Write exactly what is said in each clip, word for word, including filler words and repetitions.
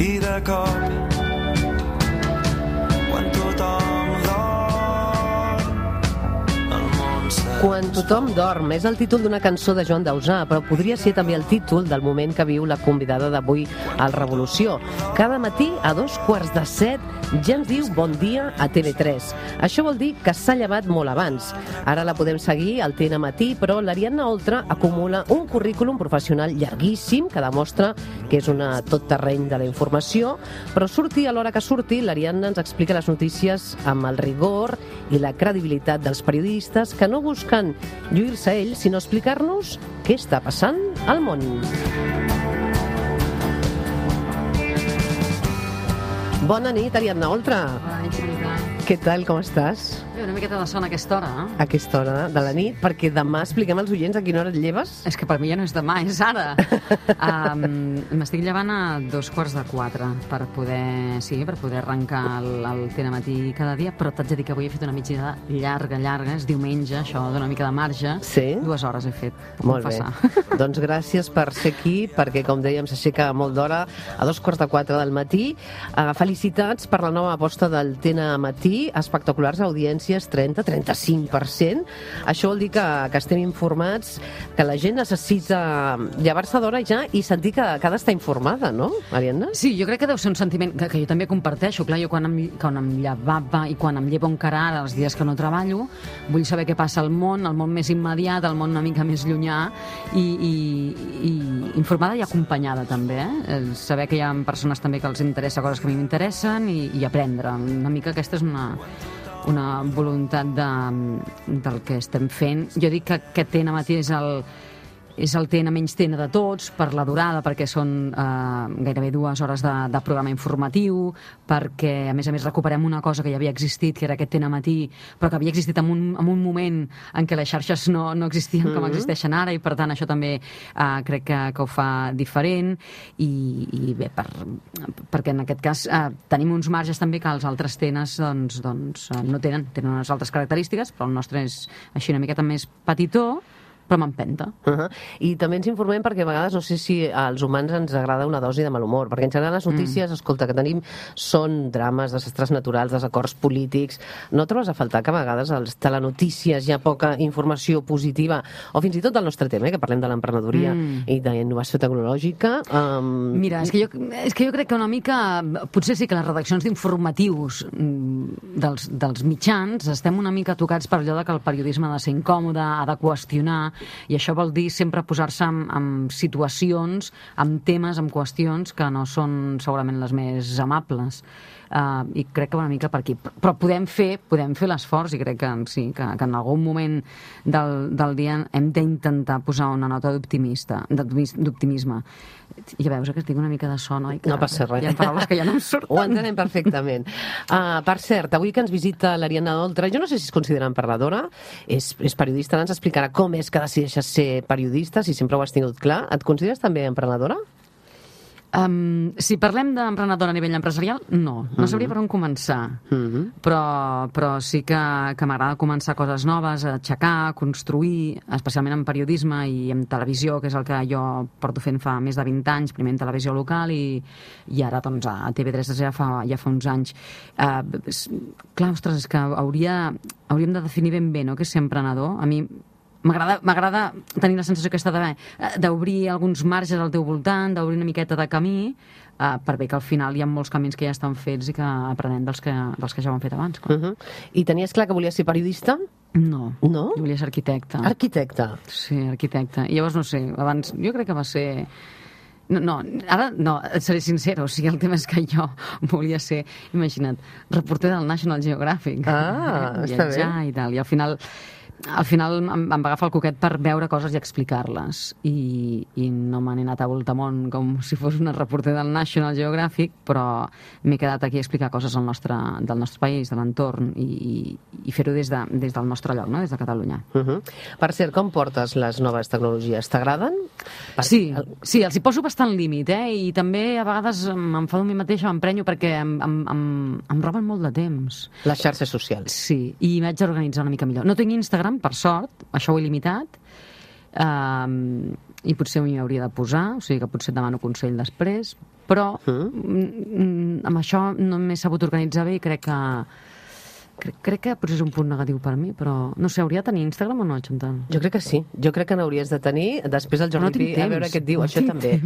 i de cop quan tothom dorm el món s'ha... Quan tothom dorm és el títol d'una cançó de Joan Dausà, però podria ser també el títol del moment que viu la convidada d'avui al Revolució. Cada matí a dos quarts de set ja ens diu bon dia a T V tres. Això vol dir que s'ha llevat molt abans. Ara la podem seguir al T N Matí, però l'Ariadna Oltra acumula un currículum professional llarguíssim que demostra que és una tot terreny de la informació, però surti a l'hora que surti, l'Ariadna ens explica les notícies amb el rigor i la credibilitat dels periodistes que no busquen lluir-se a ell, sinó explicar-nos què està passant al món. Bona nit, Ariadna Oltra. Bona nit, Marita. Què tal, com estàs? Una miqueta de son a aquesta hora, eh? A aquesta hora de la nit, perquè demà expliquem als oients a quina hora et lleves. És que per mi ja no és demà, és ara. um, M'estic llevant a dos quarts de quatre per poder, sí, per poder arrencar el, el T N Matí cada dia, però t'haig de dir que avui he fet una migdiada llarga, llarga, és diumenge, això dona una mica de marge. Sí? Dues hores he fet. Molt bé. Doncs gràcies per ser aquí, perquè, com dèiem, s'aixeca molt d'hora, a dos quarts de quatre del matí. Uh, felicitats per la nova aposta del T N Matí, espectaculars audiències, trenta a trenta-cinc per cent. Això vol dir que, que estem informats, que la gent necessita llevar-se d'hora ja i sentir que, que ha d'estar informada, no, Ariadna? Sí, jo crec que deu ser un sentiment que, que jo també comparteixo. Clar, jo quan em, quan em llevava i quan em llevo encara ara, els dies que no treballo, vull saber què passa al món, el món més immediat, el món una mica més llunyà, i, i, i informada i acompanyada també, eh? Saber que hi ha persones també que els interessa coses que a mi m'interessen i, i aprendre. Una mica aquesta és una... una voluntat de, del que estem fent. Jo dic que aquest T N Matí és el, és el T N menys T N de tots, per la durada, perquè són eh, gairebé dues hores de, de programa informatiu, perquè, a més a més, recuperem una cosa que ja havia existit, que era aquest T N Matí, però que havia existit en un, en un moment en què les xarxes no, no existien mm-hmm. com existeixen ara, i per tant això també eh, crec que, que ho fa diferent, i, i bé, per, perquè en aquest cas eh, tenim uns marges també que els altres T Ns doncs, doncs, eh, no tenen, tenen unes altres característiques, però el nostre és així una miqueta més petitó, però m'empenta. Uh-huh. I també ens informem perquè a vegades no sé si als humans ens agrada una dosi de mal humor, perquè en general les notícies, mm. escolta, que tenim són drames, desastres naturals, desacords polítics. No trobes a faltar que a vegades als telenotícies hi ha poca informació positiva, o fins i tot del nostre tema, eh, que parlem de l'emprenedoria mm. i d'innovació tecnològica? Um... Mira, és que, jo, és que jo crec que una mica, potser sí que les redaccions d'informatius dels, dels mitjans estem una mica tocats per allò de que el periodisme ha de ser incòmode, ha de qüestionar, i això vol dir sempre posar-se en, en situacions, en temes, en qüestions que no són segurament les més amables. Uh, i crec que una mica per aquí, però podem fer podem fer l'esforç, i crec que sí, que, que en algun moment del, del dia hem d'intentar posar una nota d'optimista, d'optimisme. Ja veus que tinc una mica de son, oi? Que no passa res. Hi ha paraules que ja no em surten. Ho entenem perfectament. Uh, per cert, avui que ens visita l'Ariadna Oltra, jo no sé si es considera emprenedora, és, és periodista, ens explicarà com és que decideixes ser periodista, si sempre ho has tingut clar. Et consideres també emprenedora? Um, si parlem d'emprenedora a nivell empresarial, no. No sabria per on començar. Mm-hmm. Però, però sí que, que m'agrada començar coses noves, aixecar, construir, especialment en periodisme i en televisió, que és el que jo porto fent fa més de vint anys, primer en televisió local i, i ara doncs, a T V tres ja fa, ja fa uns anys. Uh, clar, ostres, és que hauria, hauríem de definir ben bé, no?, què és ser emprenedor. A mi M'agrada, m'agrada tenir la sensació aquesta d'obrir alguns marges al teu voltant, d'obrir una miqueta de camí, uh, per bé que al final hi ha molts camins que ja estan fets i que aprenem dels que, dels que ja ho han fet abans. Uh-huh. I tenies clar que volies ser periodista? No, no? Jo volia ser arquitecte. Arquitecte? Sí, arquitecte. I llavors, no sé, abans, jo crec que va ser... No, no, ara no, et seré sincera, o sigui, el tema és que jo volia ser, imagina't, reporter del National Geographic. Ah, està bé. I tal, i al final... Al final em, em va agafar el coquet per veure coses i explicar-les, i, i no me n'he anat a voltamont com si fos una reporter del National Geographic, però m'he quedat aquí a explicar coses del nostre, del nostre país, de l'entorn, i, i, i fer-ho des, de, des del nostre lloc, no? Des de Catalunya. Uh-huh. Per cert, com portes les noves tecnologies? T'agraden? Per... Sí, sí, els hi poso bastant límit, eh? I també a vegades m'enfado a mi mateixa, m'emprenyo, perquè em, em, em, em roben molt de temps. Les xarxes socials. Sí, i m'haig d'organitzar una mica millor. No tinc Instagram, per sort, això ho he limitat, Um, i potser m'hi hauria de posar, o sigui que potser et demano consell després, però mm. amb això no m'he sabut organitzar bé i crec que Crec, crec que potser és un punt negatiu per mi, però no sé, hauria de tenir Instagram o no, Chantal? Jo crec que sí, jo crec que n'hauries de tenir. Després el Jordi no Pi, a veure què et diu, no això també.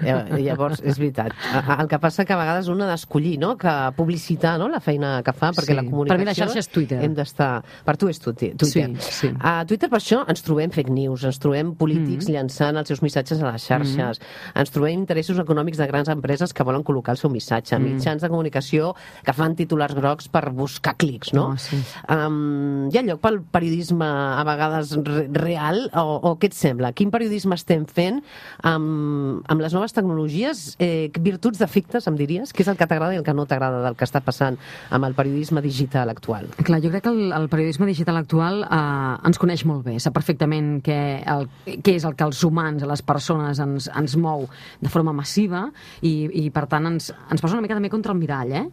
Eh, llavors, és veritat. El que passa que a vegades un ha d'escollir, no?, que publicitar, no?, la feina que fa, perquè sí. la comunicació... Per mi la xarxa és Twitter. Hem d'estar... Per tu és Twitter. Sí, sí. A Twitter, per això, ens trobem fake news, ens trobem polítics mm. llançant els seus missatges a les xarxes, mm. ens trobem interessos econòmics de grans empreses que volen col·locar el seu missatge, mm. mitjans de comunicació que fan titulars grocs per buscar clics, no? Oh, sí. Um, hi ha lloc pel periodisme a vegades re real o, o què et sembla? Quin periodisme estem fent amb, amb les noves tecnologies? Eh, virtuts, defectes, em diries? Què és el que t'agrada i el que no t'agrada del que està passant amb el periodisme digital actual? Clar, jo crec que el, el periodisme digital actual eh, ens coneix molt bé, sap perfectament què, el, què és el que els humans, les persones ens, ens mou de forma massiva i, i per tant ens, ens posa una mica també contra el mirall, eh?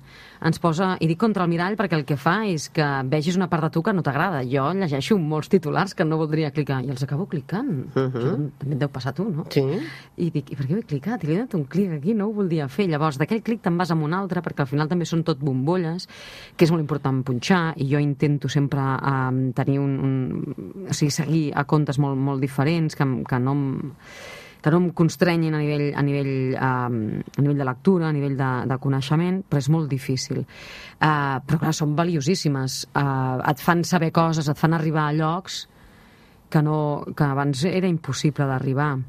Ens posa, i dic contra el mirall perquè el que fa és que vegis una part de tu que no t'agrada. Jo llegeixo molts titulars que no voldria clicar i els acabo clicant. Uh -huh. Això també et deu passar a tu, no? Sí. I dic, i per què ho he clicat? I li he donat un clic aquí, no ho voldria fer. Llavors, d'aquell clic te'n vas amb un altre, perquè al final també són tot bombolles, que és molt important punxar, i jo intento sempre um, tenir un, un... O sigui, seguir a comptes molt, molt diferents, que, que no em... que no em constrenyin a nivell, a nivell, um, a nivell de lectura, a nivell de, de coneixement, però és molt difícil. Uh, però clar, són valiosíssimes. Uh, et fan saber coses, et fan arribar a llocs que, no, que abans era impossible d'arribar.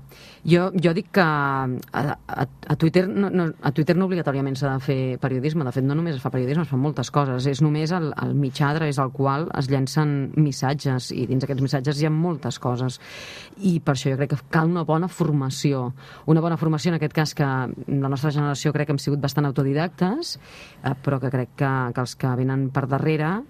Jo, jo dic que a, a, a, Twitter no, no, a Twitter no obligatòriament s'ha de fer periodisme. De fet, no només es fa periodisme, es fan moltes coses. És només el, el mitjà a través del qual es llencen missatges, i dins d'aquests missatges hi ha moltes coses. I per això jo crec que cal una bona formació. Una bona formació, en aquest cas, que la nostra generació crec que hem sigut bastant autodidactes, eh, però que crec que, que els que venen per darrere,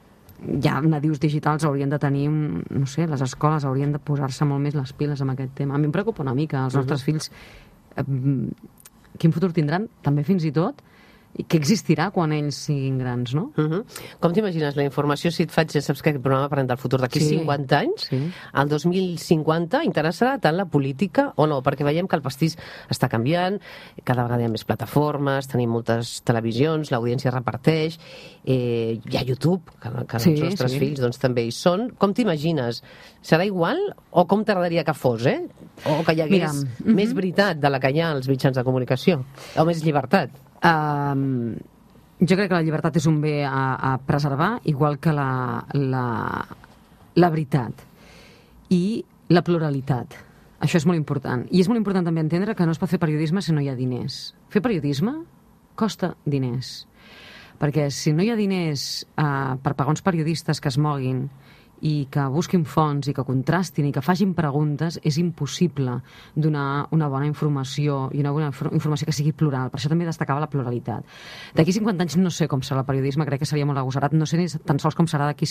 ja nadius digitals, haurien de tenir un, no sé, les escoles haurien de posar-se molt més les piles amb aquest tema. A mi em preocupa una mica, els nostres uh-huh. fills eh, quin futur tindran, també fins i tot, i què existirà quan ells siguin grans, no? Uh-huh. Com t'imagines la informació, si et faig, ja saps que aquest programa parlem del futur d'aquí sí. cinquanta anys, sí. al dos mil cinquanta interessarà tant la política o no? Perquè veiem que el pastís està canviant, cada vegada hi ha més plataformes, tenim moltes televisions, l'audiència reparteix, eh, hi ha YouTube, que, que sí, els nostres sí. fills doncs, també hi són. Com t'imagines? Serà igual o com t'agradaria que fos, eh? O que hi hagués Mira, uh-huh. més veritat de la que hi ha als mitjans de comunicació? O més llibertat? Um, jo crec que la llibertat és un bé a, a preservar, igual que la, la, la veritat i la pluralitat. Això és molt important. I és molt important també entendre que no es pot fer periodisme si no hi ha diners. Fer periodisme costa diners. Perquè si no hi ha diners uh, per pagar uns periodistes que es moguin i que busquin fonts i que contrastin i que facin preguntes, és impossible donar una bona informació i una bona informació que sigui plural. Per això també destacava la pluralitat. D'aquí cinquanta anys no sé com serà el periodisme, crec que seria molt agosarat, no sé ni tan sols com serà d'aquí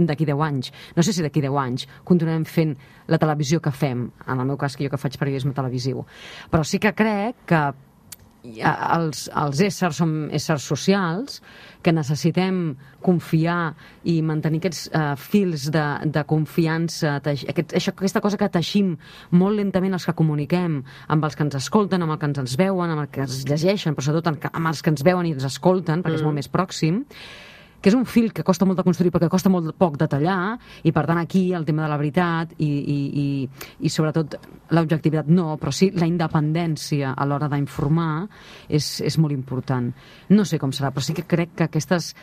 d'aquí deu anys. No sé si d'aquí deu anys continuarem fent la televisió que fem, en el meu cas que jo que faig periodisme televisiu. Però sí que crec que els, els éssers som éssers socials que necessitem confiar i mantenir aquests uh, fils de, de confiança, aquest, això, aquesta cosa que teixim molt lentament els que comuniquem, amb els que ens escolten, amb els que ens veuen, amb els que ens llegeixen, però sobretot amb els que ens veuen i ens escolten, perquè mm. és molt més pròxim, que és un fil que costa molt de construir però que costa molt poc de tallar, i per tant aquí el tema de la veritat i, i, i, i sobretot l'objectivitat no, però sí la independència a l'hora d'informar és, és molt important. No sé com serà, però sí que crec que aquestes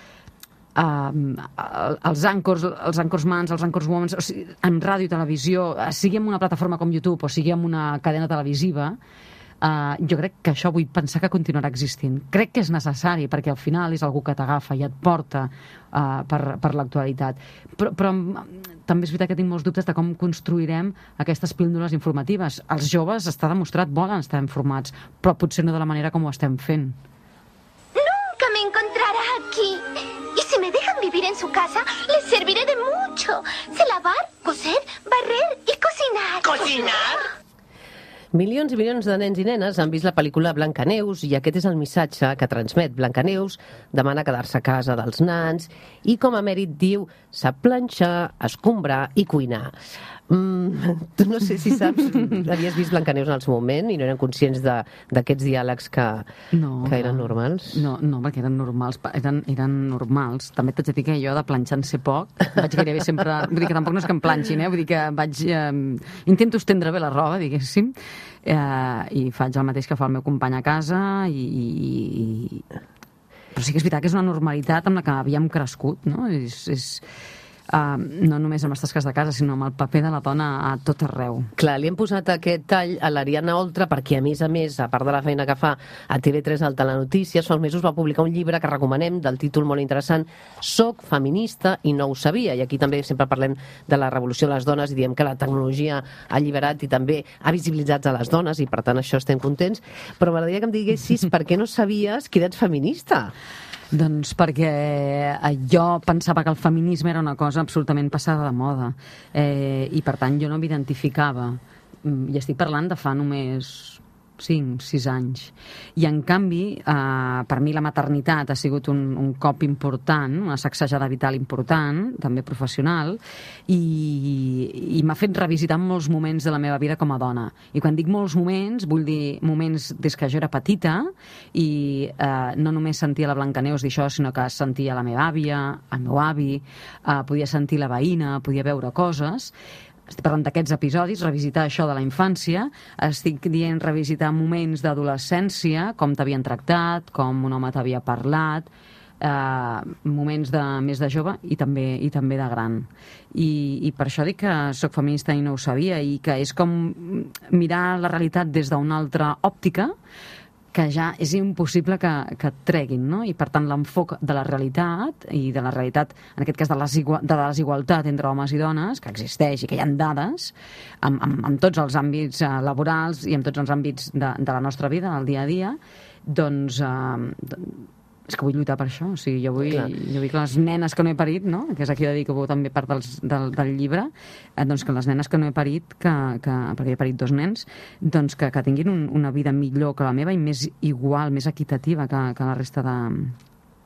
uh, els àncors, els anchorsmans, els anchorswomans, o sigui, en ràdio i televisió, sigui en una plataforma com YouTube o sigui en una cadena televisiva, Uh, jo crec que això vull pensar que continuarà existint. Crec que és necessari perquè al final és algú que t'agafa i et porta uh, per, per l'actualitat. Però, però també és veritat que tinc molts dubtes de com construirem aquestes píldoles informatives. Els joves, està demostrat, volen estar informats, però potser no de la manera com ho estem fent. Nunca me encontrará aquí. Y si me dejan vivir en su casa, les serviré de mucho. Sé lavar, coser, barrer y cocinar. ¿Cocinar? Milions i milions de nens i nenes han vist la pel·lícula Blancaneus i aquest és el missatge que transmet Blancaneus. Demana quedar-se a casa dels nans i, com a mèrit, diu, sap planxar, escombrar i cuinar. Mm, tu no sé si saps, havies vist Blancaneus en el seu moment i no eren conscients de- d'aquests diàlegs que, No, que eren clar. normals? No, no, perquè eren normals, pa- eren, eren normals. També t'haig de dir que jo de planxar en sé poc, vaig gairebé sempre... Vull dir que tampoc no és que em planxin, eh? Vull dir que vaig... Eh, intento estendre bé la roba, diguéssim, eh, i faig el mateix que fa el meu company a casa, i, i, i... Però sí que és veritat que és una normalitat amb la que havíem crescut, no? És... és Uh, no només amb les tasques de casa, sinó amb el paper de la dona a tot arreu. Clar, li hem posat aquest tall a l'Ariadna Oltra perquè, a més a més, a part de la feina que fa a T V tres al Telenotícies, fa uns mesos va publicar un llibre que recomanem, del títol molt interessant, Soc feminista i no ho sabia. I aquí també sempre parlem de la revolució de les dones i diem que la tecnologia ha alliberat i també ha visibilitzat a les dones i, per tant, això estem contents. Però m'agradaria que em diguessis per què no sabies que eres feminista. Doncs perquè eh, jo pensava que el feminisme era una cosa absolutament passada de moda, eh, i per tant jo no m'identificava. Mm, I estic parlant de fa només cinc, sis anys. I en canvi, eh, per mi la maternitat ha sigut un, un cop important, una sacsejada vital important, també professional, i, i m'ha fet revisitar molts moments de la meva vida com a dona. I quan dic molts moments, vull dir moments des que jo era petita, i eh, no només sentia la Blancaneus dir això, sinó que sentia la meva àvia, el meu avi, eh, podia sentir la veïna, podia veure coses. Estic parlant d'aquests episodis, revisitar això de la infància, estic dient revisitar moments d'adolescència, com t'havien tractat, com un home t'havia parlat, eh, moments de, més de jove i també, i també de gran. I, I per això dic que sóc feminista i no ho sabia, i que és com mirar la realitat des d'una altra òptica, que ja és impossible que, que et treguin, no? I per tant l'enfoc de la realitat, i de la realitat, en aquest cas de, les igua, de la desigualtat entre homes i dones, que existeix i que hi ha dades, en, en, en tots els àmbits eh, laborals i en tots els àmbits de, de la nostra vida, del dia a dia, doncs... Eh, és que vull lluitar per això, o sigui, jo vull, jo vull que les nenes que no he parit, no? Que és aquí de dir que també part dels, del, del llibre, eh, doncs que les nenes que no he parit, que, que, perquè he parit dos nens, doncs que, que tinguin un, una vida millor que la meva i més igual, més equitativa que, que la resta de,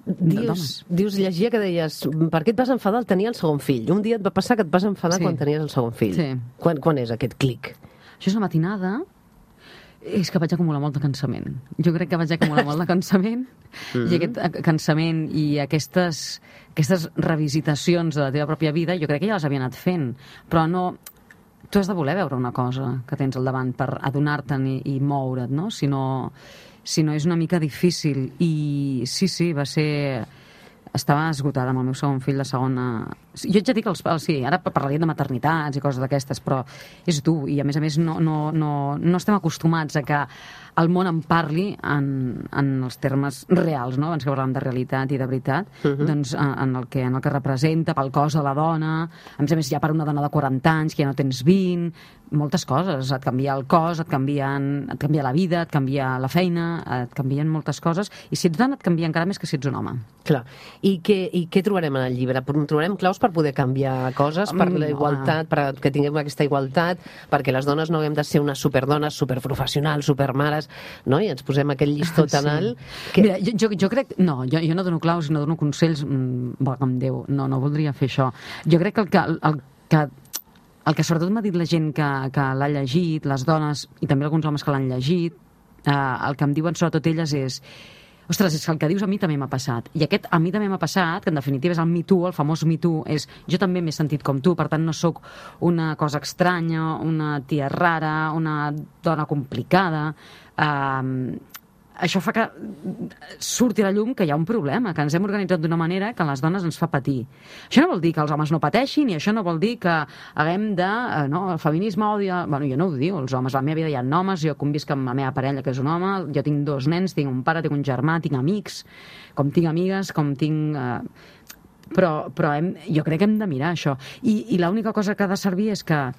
de Dius, dones. dius, llegia que deies, per què et vas enfadar al tenir el segon fill? Un dia et va passar que et vas enfadar Sí. quan tenies el segon fill. Sí. Quan, quan és aquest clic? Això és una matinada. És que vaig acumular molt de cansament. Jo crec que vaig acumular molt de cansament, mm-hmm. i aquest eh, cansament i aquestes, aquestes revisitacions de la teva pròpia vida, jo crec que ja les havia anat fent, però no... Tu has de voler veure una cosa que tens al davant per adonar-te'n i, i moure't, no? Si no, si no és una mica difícil. I sí, sí, va ser... Estava esgotada amb el meu segon fill de segona... Jo haig de dir que els, sí, ara parlaria de maternitats i coses d'aquestes, però és dur, i a més a més no, no, no, no estem acostumats a que el món en parli en, en els termes reals, no? Abans que parlàvem de realitat i de veritat, uh-huh. doncs en el, que, en el que representa, pel cos de la dona, a més a més ja per una dona de quaranta anys, que ja no tens vint, moltes coses, et canvia el cos, et, canvien, et canvia la vida, et canvia la feina, et canvien moltes coses, i si ets dona et canvia encara més que si ets un home. Clar. I què, i què trobarem en el llibre? Trobarem claus per poder canviar coses, per la igualtat, perquè tinguem aquesta igualtat, perquè les dones no haguem de ser unes superdones, superprofessionals, supermares, no? I ens posem aquell llistó tan Sí. alt... Que... Mira, jo, jo, jo crec... No, jo, jo no dono claus i no dono consells, mm, valga'm Déu, no, no voldria fer això. Jo crec que el que... El, el que el que sobretot m'ha dit la gent que, que l'ha llegit, les dones, i també alguns homes que l'han llegit, eh, el que em diuen sobretot elles és: ostres, és que el que dius a mi també m'ha passat. I aquest a mi també m'ha passat, que en definitiva és el Me Too, el famós Me Too, és jo també m'he sentit com tu, per tant no sóc una cosa estranya, una tia rara, una dona complicada. Eh, això fa que surti a la llum que hi ha un problema, que ens hem organitzat d'una manera que a les dones ens fa patir. Això no vol dir que els homes no pateixin, i això no vol dir que haguem de... Eh, no, el feminisme odia... Bueno, jo no ho diu, els homes, a la meva vida hi ha homes, jo convisc amb la meva parella, que és un home, jo tinc dos nens, tinc un pare, tinc un germà, tinc amics, com tinc amigues, com tinc... Eh... Però, però hem, jo crec que hem de mirar això. I, i l'única cosa que ha de servir és que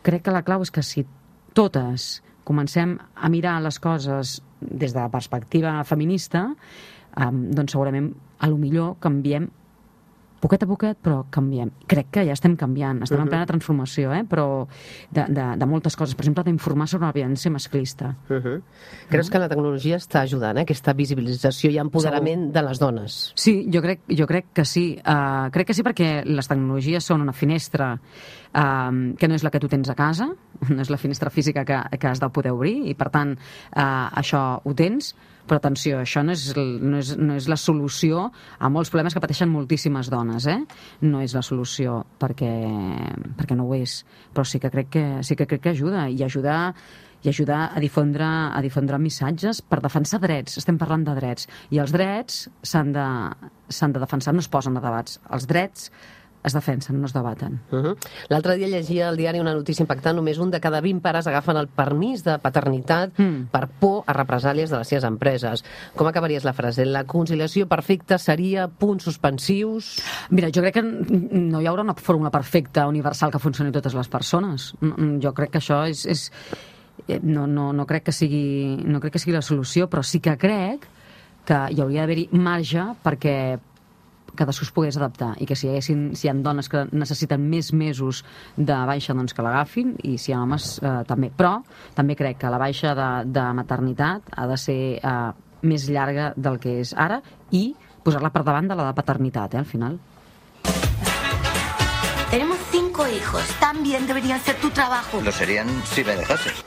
crec que la clau és que si totes comencem a mirar les coses des de la perspectiva feminista, eh, doncs segurament a lo millor canviem poquet a poquet, però canviem. Crec que ja estem canviant, estem uh-huh. en plena transformació, eh? Però de, de, de moltes coses. Per exemple, d'informar sobre la violència masclista. Uh-huh. Creus uh-huh. que la tecnologia està ajudant, eh? Aquesta visibilització i empoderament Segur. de les dones? Sí, jo crec, jo crec que sí. Uh, crec que sí perquè les tecnologies són una finestra uh, que no és la que tu tens a casa, no és la finestra física que, que has de poder obrir, i per tant uh, això ho tens. Però atenció, això no és, no, és, no és la solució a molts problemes que pateixen moltíssimes dones, eh? No és la solució perquè, perquè no ho és, però sí que crec que, sí que, crec que ajuda, i ajuda, i ajuda a difondre, a difondre missatges per defensar drets. Estem parlant de drets, i els drets s'han de, s'han de defensar, no es posen a debats. Els drets es defensen, no es debaten. Uh-huh. L'altre dia llegia al diari una notícia impactant: només un de cada vint pares agafen el permís de paternitat mm. per por a represàlies de les seves empreses. Com acabaries la frase? La conciliació perfecta seria punts suspensius? Mira, jo crec que no hi haurà una fórmula perfecta, universal, que funcioni a totes les persones. Jo crec que això és... és no, no, no, crec que sigui, no crec que sigui la solució, però sí que crec que hi hauria d'haver-hi marge perquè cadascú es pogués adaptar, i que si hi, haguessin, si hi ha dones que necessiten més mesos de baixa, doncs que l'agafin, i si hi ha homes eh, també. Però també crec que la baixa de, de maternitat ha de ser eh, més llarga del que és ara, i posar-la per davant de la de paternitat, eh, al final. Tenemos cinco hijos. También deberían ser tu trabajo. Lo serían si me dejases.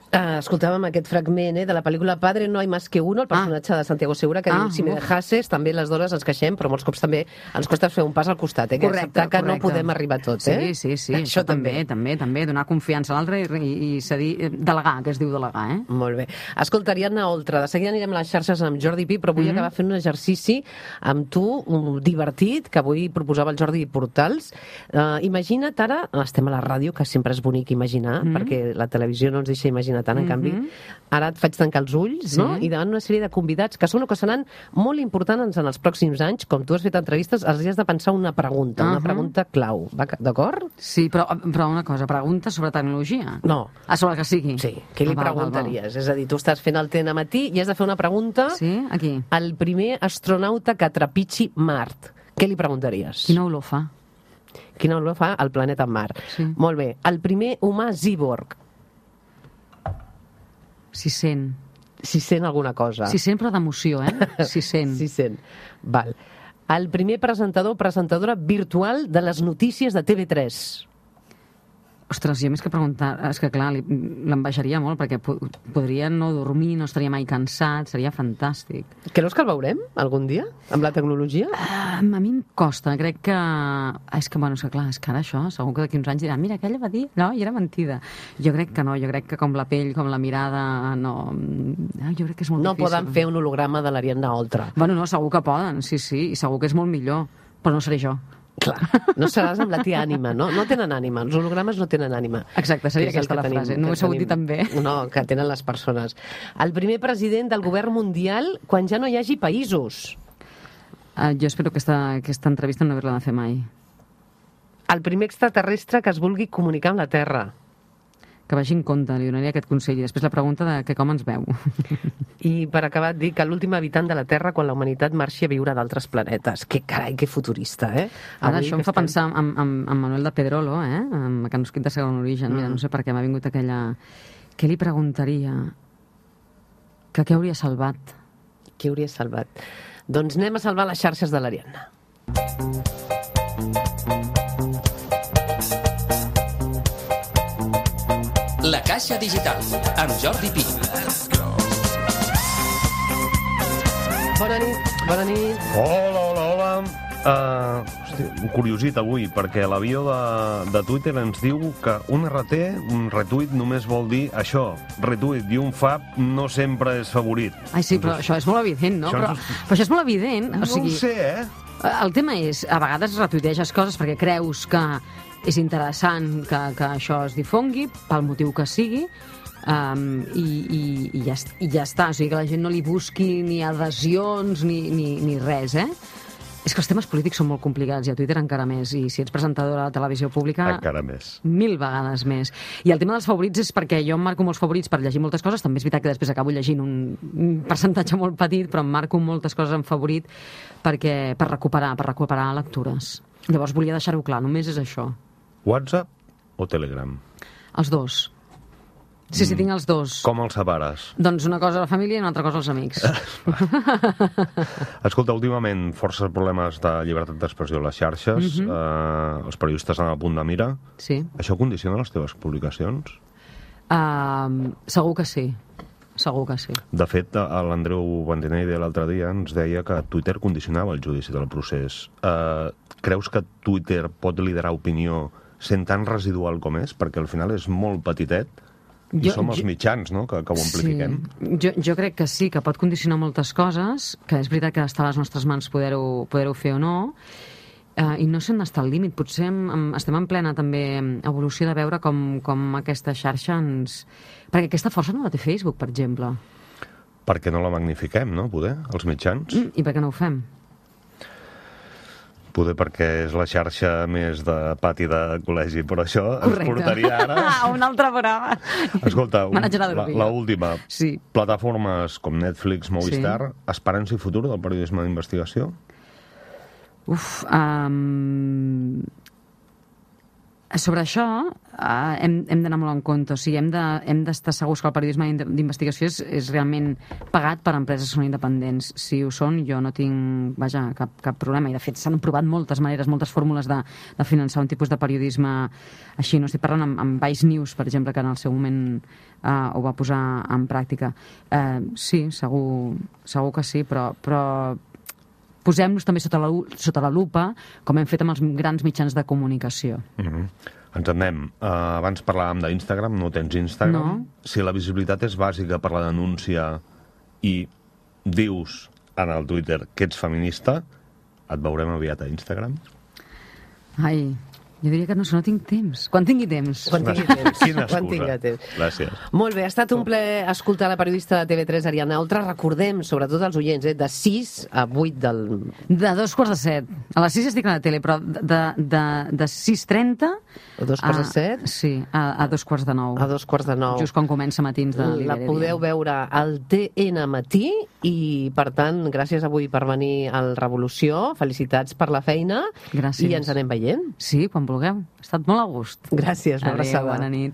Uh, escoltàvem aquest fragment eh, de la pel·lícula Padre no hay más que uno, el personatge ah. de Santiago Segura, que ah, diu, si me dejases, també les dones ens queixem, però molts cops també ens costa fer un pas al costat, eh, que correcte, que correcte. No podem arribar a tot. Eh? Sí, sí, sí, això, això també, també, també, donar confiança a l'altre i, i, i cedir, delegar, que es diu delegar. Eh? Molt bé. Escolta, Ariadna Oltra, de seguida anirem a les xarxes amb Jordi Pi, però vull mm-hmm. acabar fent un exercici amb tu, un divertit, que avui proposava el Jordi Portals. Uh, imagina't ara, estem a la ràdio, que sempre és bonic imaginar, mm-hmm. perquè la televisió no ens deixa imaginar tant, en mm-hmm. canvi, ara et faig tancar els ulls, sí. no? I davant una sèrie de convidats que són o que seran molt importants en els pròxims anys. Com tu has fet entrevistes, els has de pensar una pregunta, uh-huh. una pregunta clau. D'acord? Sí, però, però una cosa, pregunta sobre tecnologia? No. Ah, sobre el que sigui? Sí. Què li ah, preguntaries? Val, val. És a dir, tu estàs fent el T N matí i has de fer una pregunta sí? Aquí. Al primer astronauta que trepitgi Mart. Què li preguntaries? Quina olor fa? Quina olor fa el planeta Mart. Sí. Molt bé. El primer humà cíborg. Si sent. Si sent alguna cosa. Si sent, però d'emoció, eh? Si sent. Si sent. Val. El primer presentador o presentadora virtual de les notícies de T V tres. Ostres, jo més que preguntar... És que, clar, l'envejaria molt, perquè podria no dormir, no estaria mai cansat, seria fantàstic. Creus que el veurem algun dia, amb la tecnologia? Uh, a mi em costa, crec que... És que, bueno, és que, clar, és que ara això, segur que d'aquí uns anys diran, mira, aquella va dir, no, i era mentida. Jo crec que no, jo crec que com la pell, com la mirada, no... Jo crec que és molt no difícil. No poden fer un holograma de l'Ariadna Oltra. Bueno, no, segur que poden, sí, sí, i segur que és molt millor, però no seré jo. Clar, no seràs amb la tia ànima, no? No tenen ànima, els hologrames no tenen ànima. Exacte, seria aquesta la tenim, frase, no ho he sabut dir també. No, que tenen les persones. El primer president del govern mundial quan ja no hi hagi països. Uh, jo espero que aquesta, aquesta entrevista no haver-la de fer mai. El primer extraterrestre que es vulgui comunicar amb la Terra. Que vagi en compte, li donaria aquest consell. I després la pregunta de que com ens veu. I per acabar et dic que l'últim habitant de la Terra quan la humanitat marxi a viure a d'altres planetes. Que carai, que futurista, eh? Ara avui això em fa estem... pensar en, en, en Manuel de Pedrolo, eh? En Mecanosquit de segon origen. Mm. Mira, no sé per què m'ha vingut aquella... Què li preguntaria? Que què hauria salvat? Què hauria salvat? Doncs anem a salvar les xarxes de l'Ariadna. La Caixa Digital, amb Jordi Pi. Bona nit, bona nit. Hola, hola, hola. Uh, hosti, un curiosit avui, perquè l'avió de, de Twitter ens diu que un R T, un retweet, només vol dir això, retweet, i un fab no sempre és favorit. Ai, sí, però això és molt evident, no? Però, és... però això és molt evident. No o sigui, ho sé, eh? El tema és, a vegades retuiteges coses perquè creus que és interessant que, que això es difongui, pel motiu que sigui, um, i, i, i, ja, i ja està. O sigui, que la gent no li busqui ni adhesions ni, ni, ni res, eh? És que els temes polítics són molt complicats i a Twitter encara més, i si ets presentadora de televisió pública... Encara més. Mil vegades més. I el tema dels favorits és perquè jo em marco molts favorits per llegir moltes coses, també és veritat que després acabo llegint un, un percentatge molt petit, però em marco moltes coses en favorit perquè, per recuperar, per recuperar lectures. Llavors volia deixar-ho clar, només és això. WhatsApp o Telegram? Els dos. Sí, sí, tinc els dos. Com els separes? Doncs una cosa a la família i una altra cosa als amics. Escolta, últimament força problemes de llibertat d'expressió a les xarxes, uh-huh. eh, els periodistes estan a punt de mira. Sí. Això condiciona les teves publicacions? Uh, segur que sí. Segur que sí. De fet, l'Andreu Bandinelli l'altre dia ens deia que Twitter condicionava el judici del procés. Eh, creus que Twitter pot liderar opinió sent tan residual com és? Perquè al final és molt petitet. I jo, som els jo, mitjans, no?, que, que ho amplifiquem. Sí. Jo, jo crec que sí, que pot condicionar moltes coses, que és veritat que està a les nostres mans poder-ho poder-ho fer o no, uh, i no sé on està el límit. Potser em, estem en plena també evolució de veure com, com aquesta xarxa ens... Perquè aquesta força no la té Facebook, per exemple. Perquè no la magnifiquem, no?, poder, els mitjans. Mm, I per què no ho fem? Poder perquè és la xarxa més de pati de col·legi, però això Correcte. ens portaria ara... un altre programa. Escolta, un, la, la última. Sí. Plataformes com Netflix, Movistar, sí. esperança i futur del periodisme d'investigació? Uf, um... sobre això uh, hem, hem d'anar molt en compte. O sigui, hem de, hem d'estar segurs que el periodisme d'investigació és, és realment pagat per empreses que són independents. Si ho són, jo no tinc, vaja, cap, cap problema. I, de fet, s'han provat moltes maneres, moltes fórmules de, de finançar un tipus de periodisme així. No estic parlant amb, amb Vice News, per exemple, que en el seu moment uh, ho va posar en pràctica. Uh, sí, segur, segur que sí, però... però posem-nos també sota la, sota la lupa, com hem fet amb els grans mitjans de comunicació. Mm-hmm. Ens en anem. Uh, abans parlàvem d'Instagram, no tens Instagram. No. Si la visibilitat és bàsica per la denúncia i dius en el Twitter que ets feminista, et veurem aviat a Instagram? Ai... Jo diria que no, no tinc temps. Quan tingui temps. Quan tingui temps. Quina Quan excusa. temps. Gràcies. Molt bé, ha estat un plaer escoltar la periodista de T V tres, Ariadna Oltra. Recordem, sobretot als oients, eh, de sis a vuit del... De dos quarts de set. A les sis estic a la tele, però de, de, de sis trenta... A dos quarts de set? Sí, a, a dos quarts de nou. A dos quarts de nou. Just quan comença matins de l'Iberia. La podeu veure al T N Matí i, per tant, gràcies avui per venir al Revolució. Felicitats per la feina. Gràcies. I ens anem veient. Sí, quan vulgueu. Ha estat molt a gust. Gràcies, una Adéu, abraçada. bona nit.